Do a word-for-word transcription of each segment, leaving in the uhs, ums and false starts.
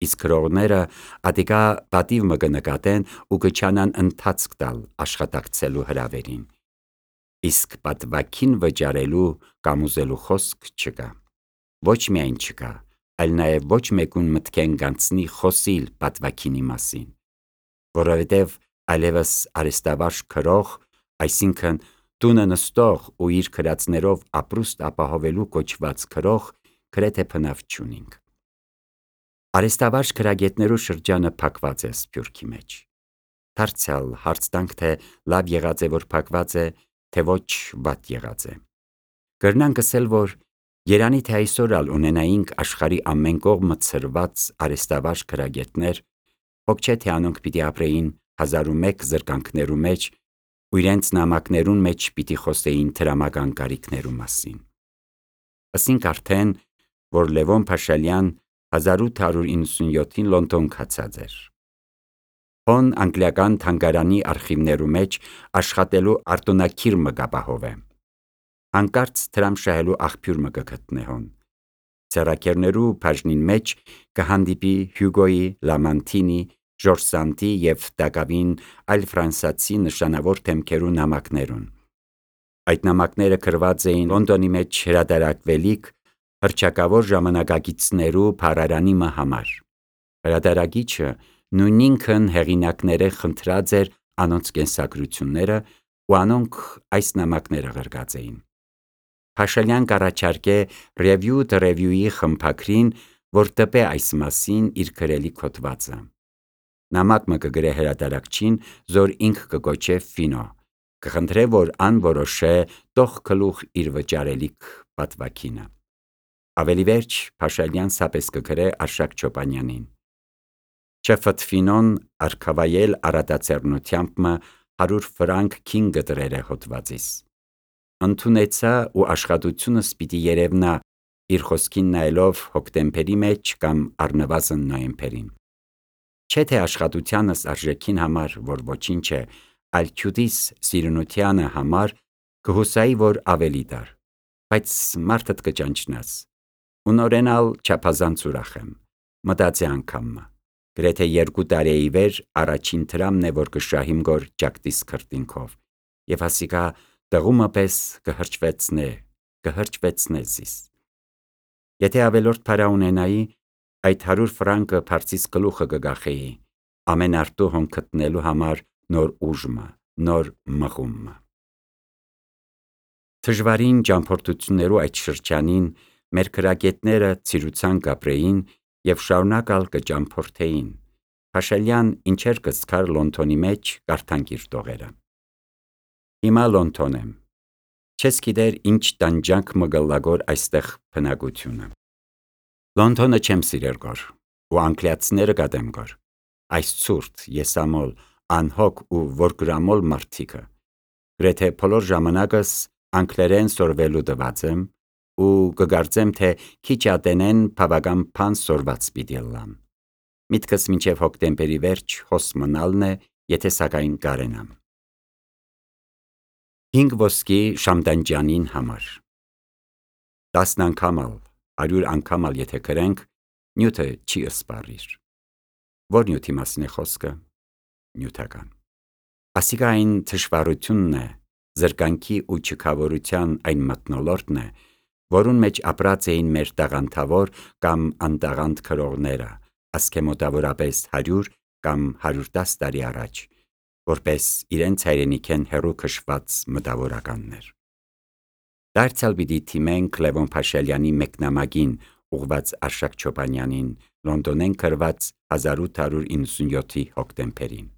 իսկ քրողները ատիկա պատիվ մը կնկատեն ու կչանան ընթացք տալ աշխատակցելու հրավերին։ Իսկ պատվակին վճարելու կամ ուզելու խոսք չկա։ Ոչ միայն չկա, այլ նաև ոչ մեկուն մտքեն գանցնի խոսիլ պատվակինի մասին, որովհետև այլևս արեստավարժ քրող, այսինքն տունը նստող ու իր քրածներով ապրուստ ապահովելու կոչված քրող, գրեթե բնավ չունինք։ Արեստավարժ քրագետներու շրջանը փակված է Սփյուռքի մեջ։ Դարձյալ հարց տանք, թե լավ եղած է, որ փակված է, թե ոչ վատ եղած է։ Կրնանք ասել, որ երանի թե այսօր ալ ունենայինք աշխարհի ամեն կողմը ցրված արեստավարժ քրագետներ, հոգ չէ թե անոնք պիտի ապրեին հազար ու մեկ զրկանքներու մեջ ու իրենց նամակներուն մեջ պիտի խոսեին դրամական կարիքներու մասին։ Ասինք արդեն, որ Լևոն Փաշալյան հազար ութ հարյուր իննսունյոթին Լոնդոն գացած էր։ Հոն անգլիական թանգարանի արխիվներու մեջ աշխատելու արտոնակիր մը կապահովե։ Հանկարծ դրամ շահելու աղբյուր մը կգտնե հոն։ Ձեռակերներու բաժնին մեջ կհանդիպի Հյուգոյի, Լամանթինի, Ժորժ Սանդի և Դակավին այլ ֆրանսացի նշանավոր դեմքերու նամակներուն։ Այդ նամակները գրված էին Լոնդոնի մեջ հրատարակվելիք հռչակավոր ժամանակագիծներու փառարանի մը համար։ Հրատարակիչը նույն ինքն հեղինակները խնդրած էր անոնց կենսագրությունները ու անոնք այս նամակները գրած էին։ Փաշալյան կառաջարկե Review the Review-ի խմբագրին, որ տպե այս մասին իր գրելի հոդվածը։ Նամակ մը կգրե հրատարակչին, զոր ինք կկոչե Ֆինո, կխնդրե, որ ան որոշե տող գլուխ իր վճարելիք պատվակինը։ Ավելի վերջ Փաշալյան սապես կգրե Արշակ Չոպանյանին։ Չեֆըտ Ֆինոն արքավայել առատաձեռնությամբ մը հարյուր ֆրանկ քին գտրեր է հոդվածիս։ Ընդունեցա ու աշխատությունս պիտի երևնա իր խոսքին նայելով հոկտեմբերի մեջ կամ առնվազն նոյեմբերին։ Չէ թե աշխատությանս արժեքին համար, որ ոչինչ է, այլ քյուտիս սիրունությանը համար կհուսայի, որ ավելի դար, բայց մարդդ կճանչնաս։ Ու նորեն ալ չափազանց ուրախ եմ, մտածե անգամը, գրեթե երկու տարեի վեր առաջին դրամն է, որ կշահիմ գոր ջակտիս քրտինքով, և հասիկա տղումը պես կհրճվեցնե, կհրճվեցնե զիս։ Եթե ավելորդ փարա ունենայի, այդ հարյուր ֆրանկը փարցիս գլուխը կգախեի, ամեն արտու հոն գտնելու համար նոր ուժմը, նոր մղումը։ Դժվարին ճամփորդություններու այդ շրջանին մեր քրագետները ցիրուցան կապրեին և շարունակ ալ կճամփորդեին։ Փաշալյան ինչեր կզքար Լոնդոնի մեջ կարդանք իր տողերը։ Հիմա Լոնդոն եմ։ Չես գիտեր ինչ տանջանք մը գլագոր այստեղ բնակությունը։ Լոնդոնը չեմ սիրեր գոր, ու անգլիացիները կատեմ գոր, այս ցուրտ, եսամոլ, անհոգ ու որգրամոլ մարդիկը։ Գրեթե բոլոր ժամանակս անգլերեն սորվելու տված եմ ու կգարձեմ, թե քիչ ատենեն բավական բան սորված պիտի ըլլամ։ Միտքս մինչև հոկտեմբերի վերջ հոս մնալն է, եթե սակայն կարենամ։ Հինգ ոսկի Շամդանջանին համար։ Տասն անգամ ալ, հարյուր անգամ ալ եթե գրենք, նյութը չի ըսպառիր։ Որ նյութի մասին է խոսքը։ Նյութական։ Ասիկա այն թշվառությունն է, զրկանքի ու չքավորության այն մթնոլորտն է, որուն մեջ ապրած էին մեր տաղանդավոր կամ անտաղանդ քրողները, ասկե մոտավորապես հարյուր կամ հարյուր տասը տարի առաջ, որպես իրենց հայրենիքեն հեռու քշված մտավորականներ։ Դարձյալ պիտի թիմենք Լևոն Փաշալյանի մեկնամակին ուղված Արշակ Չոպանյանին Լոնդոնեն գրված հազար ութ հարյուր իննսունյոթի հոկտեմբերին։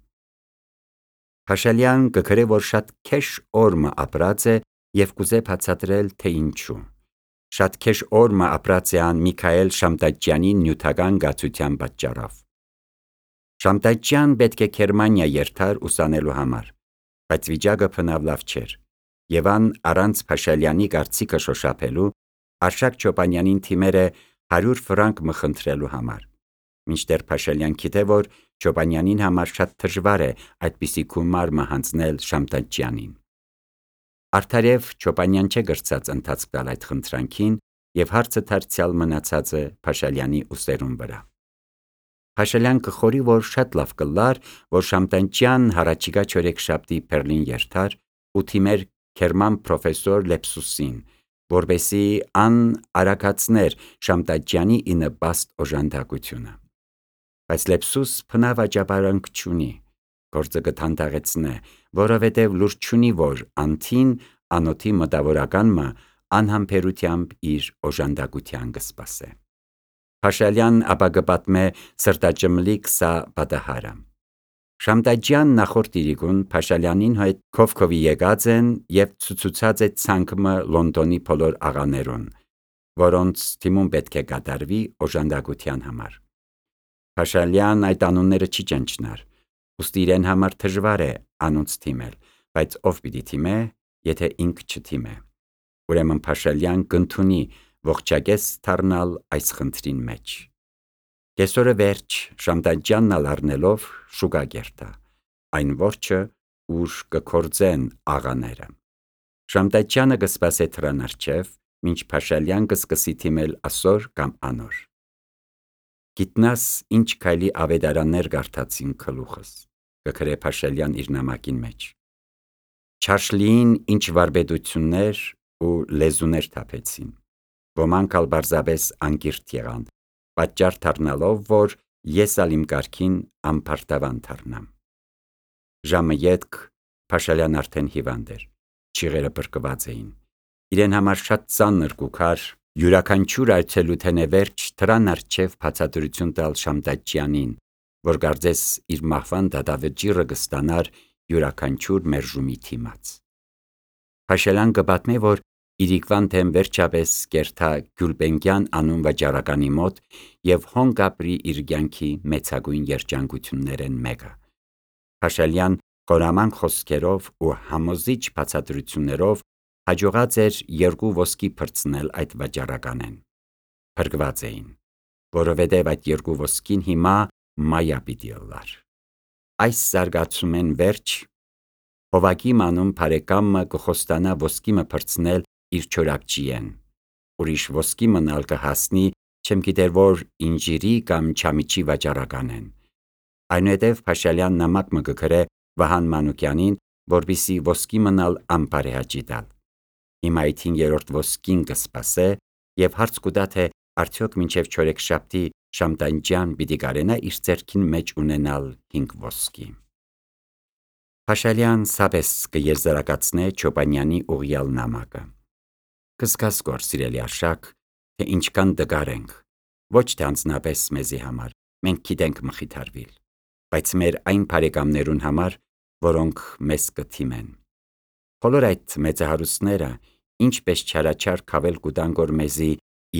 Փաշալյան կգրե, որ շատ քեշ օր մը ապրած է և կուզե բացատրել, թե ինչու։ Շատ քեշ օր մը ապրած է ան Միքայել Շամդաջյանի նյութական գացության պատճառով։ Շամդաջյան պետք է Գերմանիա երթար ուսանելու համար, բայց վիճակը բնավ լավ չէր, և ան առանց Փաշալյանի կարծիքը շոշափելու Արշակ Չոպանյանին թիմեր է հարյուր ֆրանկ մը խնդրելու համար, մինչդեռ Փաշալյան գիտե, որ Չոպանյանին համար շատ դժվար է այդպիսի գումար մը հանձնել Շամդաջյանին։ Արդարև Չոպանյան չէ գրծած ընթացք տալ այդ խնդրանքին, և հարցը դարձյալ մնացած է Փաշալյանի ուսերուն վրա։ Փաշալյան կխորի, որ շատ լավ կլար, որ շամտանջյան հարաճիգա չորեքշաբթի Բեռլին երթար ու թիմեր Քերման պրոֆեսոր Լեպսուսին, որբեսի ան արագացներ շամտաջյանի ինըբաստ օժանդակությունը։ Բայց Լեպսուս փնավաճաբարանք չունի, գործը կթանդաղեցնե, որովհետև լուր չունի, որ անթին անոթի մտավորականը անհամբերությամբ իր օժանդակության կսպասե։ Փաշալյան ապա կպատմե սրտաճմլիկ սա պատահարը։ Շամտաջյան նախորդ իրիկուն Փաշալյանին հետ քովքովի եկած են և ցուցուցած է ցանկը Լոնդոնի բոլոր աղաներուն, որոնց թիմում պետք է կատարվի օժանդակության համար։ Փաշալյան այդ անունները չի ճանչնար, ուստի իրեն համար դժվար է անոնց թիմել, բայց ով պիտի թիմե, եթե ինք չթիմե։ Ուրեմն Փաշալյան կընդունի ողջակես դառնալ այս խնդրին մեջ։ Կեսօրը վերջ շամտաջյանն առնելով շուկա կերտա, այն որջը, ուր կքործեն աղաները։ Շամտաջյանը կսպասե դռան առջև, մինչ Փաշալյան կսկսի թիմել ասոր կամ անոր։ Գիտնաս ինչ քայլի ավետարաններ կարդացին գլուխս, կգրե Փաշալյան իր նամակին մեջ։ Չարշլիին ինչ վարպետություններ ու լեզուներ թափեցին, ոմանք ալ պարզապես անկիրթ եղան, պատճառ դառնալով, որ ես ալ իմ կարգին անպարտավան դառնամ։ Ժամը ետք Փաշալյան արդեն հիվանդ էր, չիղերը բրկված էին, իրեն համար շատ ծանր կուքար յուրաքանչյուր այցելութենե վերջ դռան առջև բացատրություն տալ Շամտաջյանին, որ կարծես իր մահվան դատավճիռը կստանար յուրաքանչյուր մերժումի դիմաց։ Փաշալյան կպատմե, որ իրիկվան թեմ վերջապես կերթա Գյուլբենկյան անուն վաճառականի մոտ և հոն կապրի իր կյանքի մեծագույն երջանկություններեն մեկը։ Փաշալյան խորամանկ խոսքերով ու համոզիչ բացատրություններով հաջողած էր երկու ոսկի փրցնել այդ վաճառականեն։ Փրկված էին, որովհետև այդ երկու ոսկին հիմա մայա պիտի ըլլար։ Այս զարգացումեն վերջ Հովակի մանուն բարեկամը կխոստանա ոսկիմը փրցնել իր չորակջիեն, ուրիշ ոսկի մնալ կհասնի, չեմ գիտեր որ ինժիրի կամ չամիչի վաճառականեն։ Այնուհետև Փաշալյան նամակ մը կգրե Վահան Մանուկյանին, որպեսզի ոսկի մնալ անբարեհաճի տալ։ Հիմա այդ հինգերորդ ոսկին կսպասե և հարց կուտա, թե արդյոք մինչև չորեքշաբթի Շամտաջյան պիտի կարենա իր ձեռքին մեջ ունենալ հինգ ոսկի։ Փաշալյան սապես կեզրակացնե Չոբանյանի ուղյալ նամակը։ Կսկաս կոր սիրելի Արշակ, թե ինչքան դգար ենք, ոչ թե անձնապես մեզի համար, մենք գիտենք մխիթարվիլ, բայց մեր այն բարեկամներուն համար, որոնք մեզ կթիմեն։ Բոլոր այդ մեծահարուստները ինչպես չարաչար քավել կուտան որ մեզի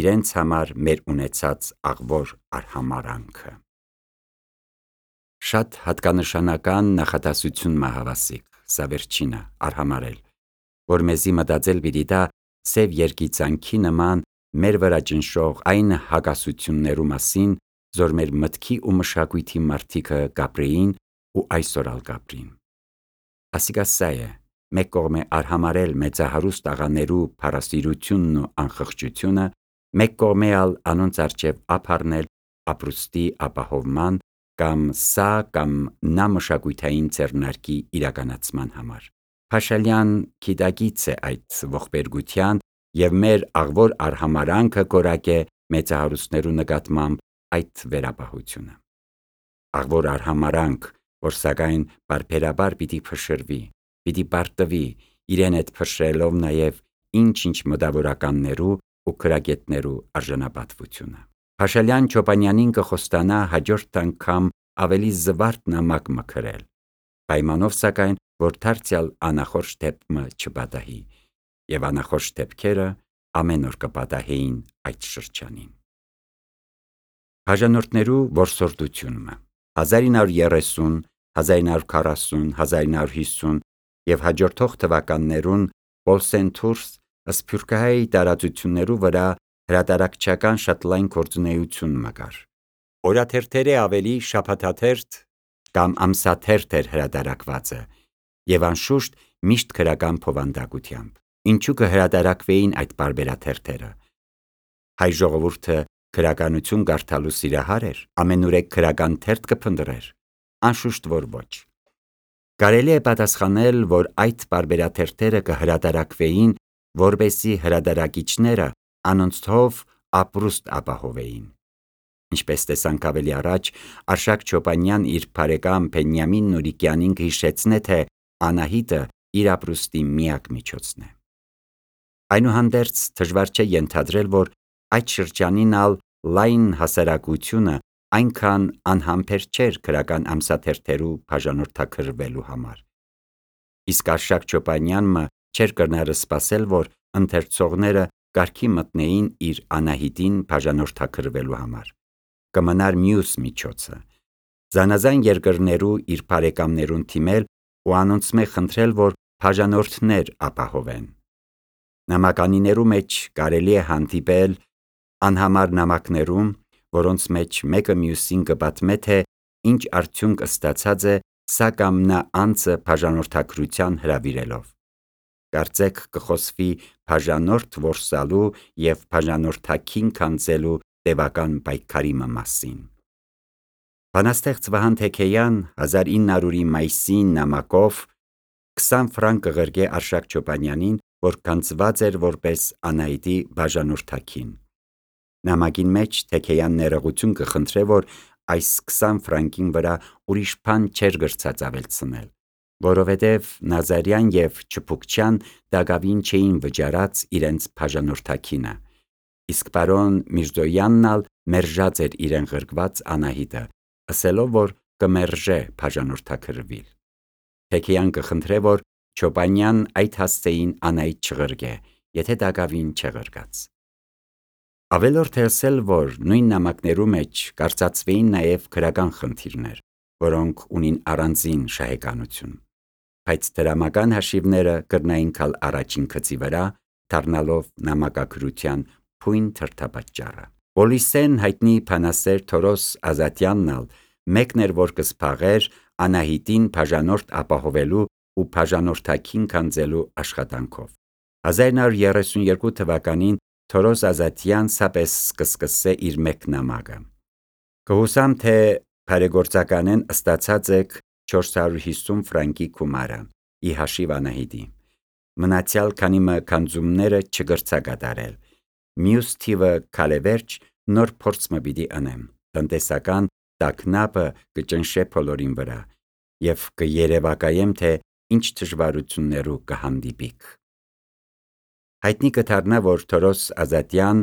իրենց համար մեր ունեցած աղվոր արհամարանքը։ Շատ հատկանշանական նախադասություն մահավասիկ, սա վերջինը, արհամարել, որ մեզի մտածել պիտի տա սև երգիծանքի նման մեր վրա ճնշող այն հակասություններու մասին, որ մեր մտքի ու մշակույթի մարդիկը կապրեին ու այսօր ալ կապրին։ Ասիկա սա է, մեկ կողմե արհամարել մեծահարուստ աղաներու փառասիրությունն ու անխղճությունը, մեկ կողմե ալ անոնց առջև ափառնել ապրուստի ապահովման կամ սա կամ նա մշակույթային ձեռնարկի իրականացման համար։ Փաշալյան գիտակից է այդ ողբերգության և մեր աղվոր արհամարանքը կորակե մեծահարուստներու նկատմամբ այդ վերապահությունը։ Աղվոր արհամարանք, որ սակայն պարբերաբար պիտի փշրվի, պիտի պարտվի, իրեն հետ փշրելով նաև ինչ-ինչ մտավորականներու ու գրագետներու արժանապատվությունը։ Փաշալյան Չոբանյանին կխոստանա հաջորդ անգամ ավելի զվարթ նամակ մը գրել, պայմանով սակայն, որ դարձյալ անախորժ դեպքը չպատահի, և անախորժ դեպքերը ամեն օր կպատահեին այդ շրջանին։ Բաժանորդներու որսորդությունը հազար ինը հարյուր երեսուն, հազար ինը հարյուր քառասուն, հազար ինը հարյուր հիսուն և հաջորդող թվականներուն Պոլսենթուրս սփյուռքահայ տարածություններու վրա հրատարակչական շատ լայն գործունեություն մկար։ Օրաթերթերի ավելի շաբաթաթերթ կամ ամսաթերթ էր հրատարակվածը և անշուշտ միշտ գրական բովանդակությամբ։ Ինչու կհրատարակվեին այդ պարբերաթերթերը։ Հայ ժողովուրդը քրականություն կարդալու սիրահար էր, ամենուրեք քրական թերթ կփնտրեր։ Անշուշտ որ ոչ։ Կարելի է պատասխանել, որ այդ պարբերաթերթերը կհրատարակվեին, որպեսզի հրատարակիչները անոնց թով ապրուստ ապահովեին։ Ինչպես տեսանք ավելի առաջ, Արշակ Չոպանյան իր բարեկամ Բենյամին Նուրիկյանին կհիշեցնե, թե Անահիտը իր ապրուստի միակ միջոցն է։ Այնուհանդերձ դժվար չէ ենթադրել, որ այդ շրջանին ալ լայն հասարակությունը այնքան անհամբեր չէր քրական ամսաթերթերու բաժանորդագրվելու համար։ Իսկ Արշակ Չոպանյանը չէր կրնարը սպասել, որ ընթերցողները կարգի մտնեին իր Անահիտին բաժանորդագրվելու համար։ Կմնար մյուս միջոցը՝ զանազան երկրներու իր բարեկամներուն թիմել ու անոնցմե խնդրել, որ բաժանորդներ ապահովեն։ Նամականիներու մեջ կարելի է հանդիպել անհամար նամակներում, որոնց մեջ մեկը մյուսին կպատմե, թե ինչ արդյունք ստացած է սա կամ նա անձը բաժանորդագրության հրավիրելով։ Կարծեք կխոսվի բաժանորդ որսալու և բաժանորդագին քանձելու տևական պայքարի մասին։ Բանաստեղծ Վահան Թեքեյան հազար ինը հարյուրի մայիսի նամակով քսան ֆրանկ կղրգե Արշակ Չոպանյանին, որ քանձված էր որպես Անահիտի բաժանորդագին։ Նամակին մեջ Թեքեյան ներողություն կխնդրե, որ այս քսան ֆրանկին վրա ուրիշ բան չէր գրծած ավելցնել, որովհետև Նազարյան և Չփուկչյան դակավին չէին վճարած իրենց բաժանորդագինը, իսկ պարոն Միրզոյանն ալ մերժած էր իրեն ղրկված Անահիտը, ասելով, որ կմերժե բաժանորդագրվիլ։ Թեքեյան կխնդրե, որ Չոպանյան այդ հասցեին Անահիտ չղրկե, եթե դակավին չղրկած։ Ավելորդ է ասել, որ նույն նամակներու մեջ կարծացվեին նաև քրական խնդիրներ, որոնք ունին առանձին շահեկանություն, բայց դրամական հաշիվները կրնային գալ առաջին գծի վրա, դառնալով նամակագրության բույն դրդապատճառը։ Պոլիսեն հայտնի բանասեր Թորոս Ազատյանն ալ մեկն էր, որ կսփաղեր Անահիտին բաժանորդ ապահովելու ու բաժանորդագին քանձելու աշխատանքով։ հազար ինը հարյուր երեսունյոթ թվականին Թորոս Ազատյան սապես կսկսե իր մեկ նամակը։ Կհուսամ, թե բարեգործականեն ստացած եք չորս հարյուր հիսուն ֆրանկի գումարը՝ ի հաշիվ Անահիտի։ Մնացյալ քանիմը քանձումները չգրցակատարել։ Մյուս թիվը քալեվերջ նոր փորձ մը պիտի ընեմ։ Տնտեսական տագնապը կճնշե բոլորին վրա և կերևակայեմ, թե ինչ դժվարություններու կհանդիպիք։ Հայտնի կդառնա, որ Թորոս Ազատյան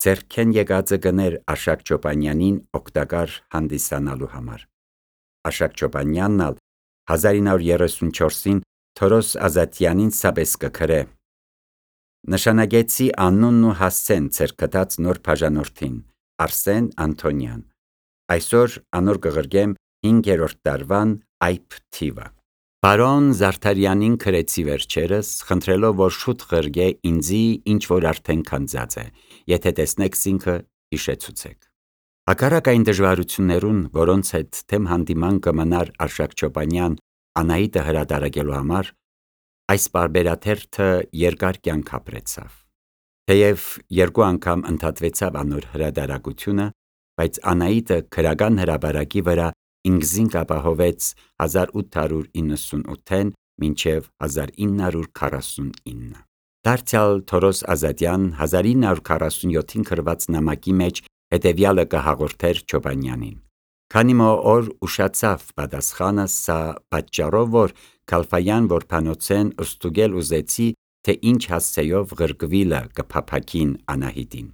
ձեռքեն եկածը գներ Արշակ Չոպանյանին օգտակար հանդիսանալու համար։ Արշակ Չոպանյանն ալ հազար ինը հարյուր երեսունչորսին Թորոս Ազատյանին սապես կգրե. նշանակեցի անունն ու հասցեն ձեր գտած նոր բաժանորդին՝ Արսեն Անթոնյան։ Այսօր անոր կղրկեմ հինգերորդ տարվան այբ թիվը։ Պարոն Զարդարյանին գրեցի վերջերս, խնդրելով, որ շուտ ղրկե ինձի, ինչ որ արդեն քանձած է, եթե տեսնեք զինքը հիշեցուցեք։ Հակառակ այն դժվարություններուն, որոնց հետ թեմ հանդիման կմնար Արշակ Չոպանյան Անահիտը հրատարակելու համար, այս պարբերաթերթը երկար կյանք ապրեցավ։ Թեև երկու անգամ ընդհատվեցավ անոր հրատարակությունը, բայց Անահիտը քրական հրապարակի վրա ինքզինք ապահովեց հազար ութ հարյուր իննսունութեն մինչև հազար ինը հարյուր քառասունինը։ Դարձյալ Թորոս Ազատյան հազար ինը հարյուր քառասունյոթին գրված նամակի մեջ հետևյալը կհաղորդեր Չոպանյանին. Քանի օր ուշացավ պատասխանը, սա պատճառով, որ Քալֆայան որբանոցեն ստուգել ուզեցի, թե ինչ հասցեով ղրկվիլը կփափակին Անահիտին։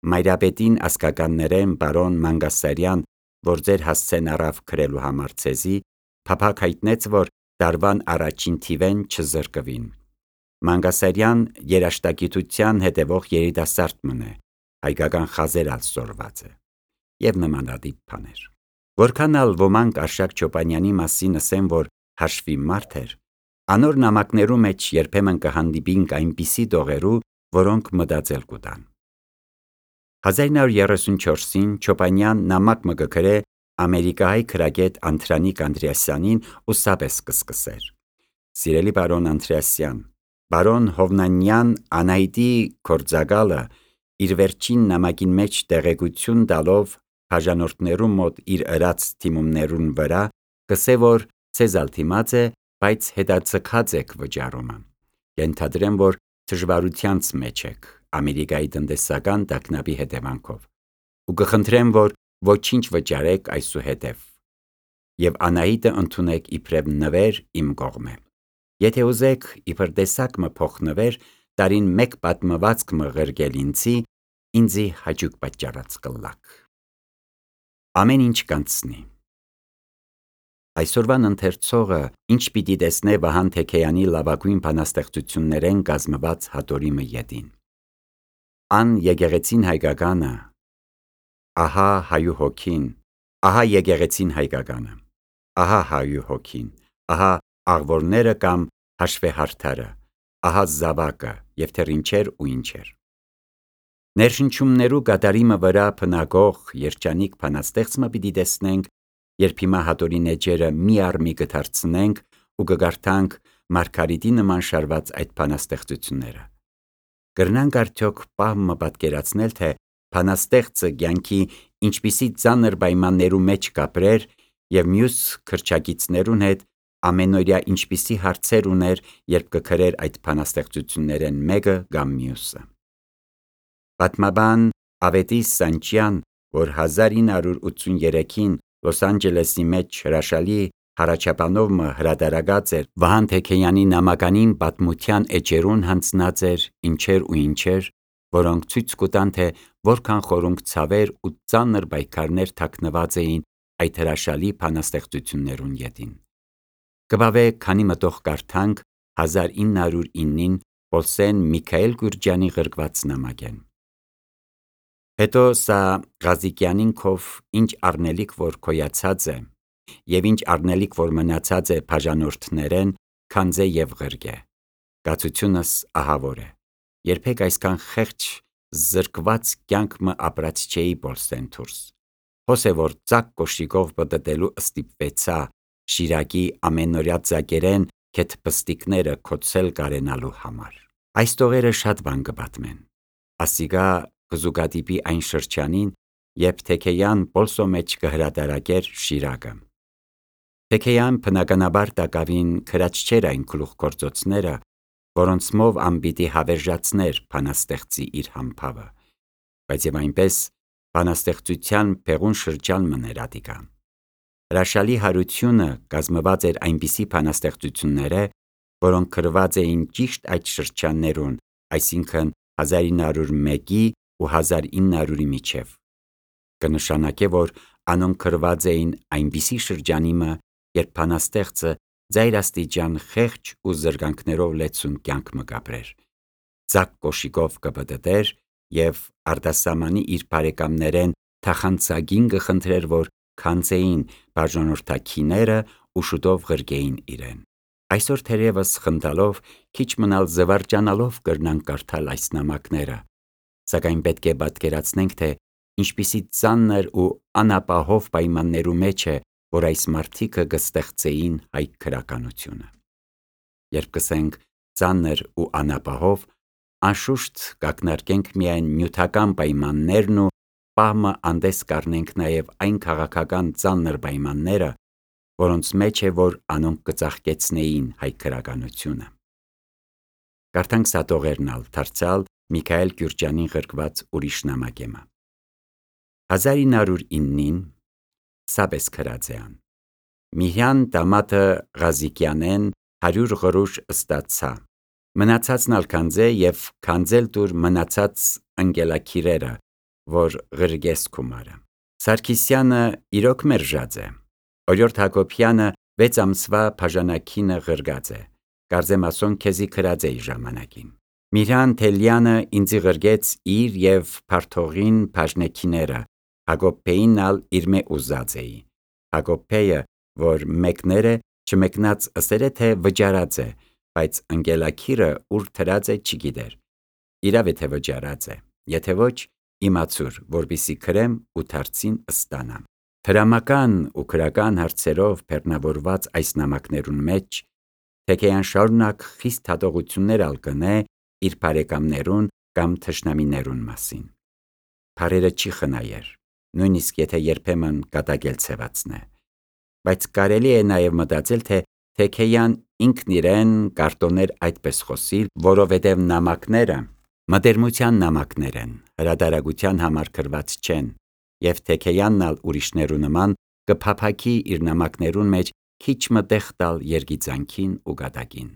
Մայրապետին ասկականներեն պարոն Մանգասարյան, որ ձեր հասցեն առավ գրելու համար ձեզի, փափակ հայտնեց, որ տարվան առաջին թիվեն չզրկվին։ Մանգասարյան երաժշտագիտության հետևող երիտասարդ մնե, հայկական խազեր ալ սորված է և նմանատիպ բաներ։ Որքան ալ ոմանք Արշակ Չոպանյանի մասին ասեն, որ հաշվի մարդ էր, անոր նամակներու մեջ երբեմն կհանդիպինք այնպիսի տողերու, որոնք մտածել կուտան։ հազար ինը հարյուր երեսունչորսին Չոպանյան նամակ մը կգրե ամերիկահայ գրագետ Անդրանիկ Անդրեասյանին ու սապես կսկսեր. Սիրելի պարոն Անդրեասյան, պարոն Հովնանյան Անահիտի գործակալը իր վերջին նամակին մեջ տեղեկություն տալով բաժանորդներու մոտ իր ըրած թիմումներուն վրա, կսե որ ցեզալ թիմած է, բայց հետաձգած եք վճարումը։ Ենթադրեմ, որ դժվարությանց մեջ եք Ամերիկայի տնտեսական տագնապի հետևանքով, ու կխնդրեմ, որ ոչինչ վճարեք այսուհետև, եւ Անահիտը ընդունեք իբրև նվեր իմ կողմէ։ Եթե ուզեք իբր տեսակ մը փոխնվեր, տարին մեկ պատմվածք մը ղրգել ինձի, ինձի հաճույք պատճառած կլաք։ Ամեն ինչ կանցնի։ Այսօրվան ընթերցողը ինչ պիտի տեսնե Վահան Թեքեյանի լավագույն բանաստեղծություններեն կազմված հատորիմը ետին։ Ան եկեղեցին հայկականը, ահա հայու հոգին, ահա եկեղեցին հայկականը, ահա հայու հոգին, ահա աղվորները կամ հաշվեհարդարը, ահա զավակը եւ թեր ինչեր ու ինչեր։ Ներշնչումներու կատարիմը վրա փնագող երջանիկ բանաստեղծը պիտի տեսնենք, երբ հիմա հատորին էջերը մի առ մի կդարձնենք ու կգարթանք Մարգարիտի նման շարված այդ բանաստեղծությունները։ Կրնանք արդյոք պահմը պատկերացնել, թե բանաստեղծը կյանքի ինչպիսի ծանր պայմաններու մեջ կապրեր եւ մյուս քրչակիցներուն հետ ամենօրյա ինչպիսի հարցեր ուներ, երբ կգրեր այդ բանաստեղծություններեն մեկը կամ մյուսը։ Պատմաբան Ավետիս Սանչյան, որ հազար ինը հարյուր ութսուններեքին Լոս Անջելեսի մեջ հրաշալի հարաճապանով մը հրատարակած էր Վահան Թեքեյանի նամականին պատմության էջերուն հանձնած էր ինչեր ու ինչեր, որոնք ցույց կտան, թե որքան խորունկ ցավեր ու ծանր պայքարներ թաքնված էին այդ հրաշալի բանաստեղծություններուն ետին։ Կբավե քանի մտող կարդանք հազար ինը հարյուր ինին Պոլսեն Միքայել Գյուրջյանի ղրկված նամակեն։ Հետո սա Ղազիկյանին քով ինչ առնելիք որ քոյացած է, եւ ինչ առնելիք որ մնացած է բաժանորդներեն, քանձե եւ ղրգե։ Կացությունս ահավոր է։ Երբեք այսքան խեղճ զրկված կյանք մը ապրած չէի Պոլսեն դուրս։ Հոս է որ ծակ կոշիկով պտտելու ստիպվեցա Շիրակի ամենօրյա ծակերեն քեթ պստիկները քոցել կարենալու համար։ Այս տողերը շատ բան կպատմեն։ Ասիգա կզուգադիպի այն շրջանին, երբ Թեքեյան Պոլսո մեջ կհրատարակեր Շիրակը։ Թեքեյան բնականաբար տակավին քրած չէր այն գլուխգործոցները, որոնց մով անպիտի հավերժացներ բանաստեղծի իր համբավը, բայց եւ այնպես բանաստեղծության փեղուն շրջան մներ ադիկա։ Հրաշալի հարությունը կազմված էր այնպիսի բանաստեղծությունները, որոնք գրված էին ճիշտ այդ շրջաններուն, այսինքն հազար ինը հարյուր մեկի ու հազար ինը հարյուրի միջև։ Կնշանակե, որ անոնք գրված էին այնպիսի շրջանիմը, երբ բանաստեղծը ձայրաստիճան խեղճ ու զրկանքներով լեցուն կյանք մը կապրեր, ծակ կոշիկով կպտտեր եւ արտասահմանի իր բարեկամներեն թախանցագին կխնդրեր, որ քանձեին բաժանորդակիները ու շուտով ղրգեին իրեն։ Այսօր թերևս խնդալով քիչ մնալ զվարճանալով կրնանք կարդալ այս նամակները, սակայն պետք է պատկերացնենք, թե ինչպիսի ծանր ու անապահով պայմաններու մեջ է, որ այս մարդիկը կստեղծեին հայ գրականությունը։ Երբ կսենք ծանր ու անապահով, անշուշտ կակնարկենք միայն նյութական պայմաններն ու պահմը անդես կառնենք նաև այն քաղաքական ծանր պայմանները, որոնց մեջ է, որ անոնք կծաղկեցնեին հայ գրականությունը։ Կարդանք սատողերնալ դարձյալ Միքայել Գյուրջյանի ղրկված ուրիշ նամակեմը։ Հազար ինը հարյուր ինին սաբես քրածեան։ Միհյան դամատը Ղազիկյանեն հարյուր ղրուշ ըստացա։ Մնացածն ալ քանձե եւ քանձել դուր մնացած անգելակիրերը, որ ղրգես կումարը։ Սարգիսյանը իրոք մերժած է։ Օրիորդ Հակոբյանը վեց ամսվա բաժանակինը ղրգած է։ Կարծեմասոն քեզի քրած էի ժամանակին։ Միրհան Թելյանը ինձի ղրգեց իր եւ Փարթողին բաժնեքիները, Հակոբեին ալ իր մե ուզած էի։ Հակոբեը, որ մեկներ է, չմեկնած ըսեր է, թե վճարած է, բայց անգելակիրը ուր թրած է չգիտեր։ Իրավ է թե վճարած է, եթե ոչ, իմացուր, որպիսի քրեմ ու դարձին ըստանամ։ Դրամական ու քրական հարցերով բեռնավորված այս նամակներուն մեջ Թեքեյան շարունակ խիստ հատողություններ ալ կնե իր բարեկամներուն կամ թշնամիներուն մասին։ Փարերը չի խնայեր, նույնիսկ եթե երբեմն կատակել ցեվածնե։ Բայց կարելի է նաև մտածել, թե Թեքեյան ինքն իրեն կարտոներ այդպես խոսիլ, որովհետև նամակները մտերմության նամակներ են, հրադարագության համար գրված չեն, և Թեքեյանն ալ ուրիշներու նման կփափագի իր նամակներուն մեջ քիչ մը տեղ տալ երգիծանքին ու գատակին։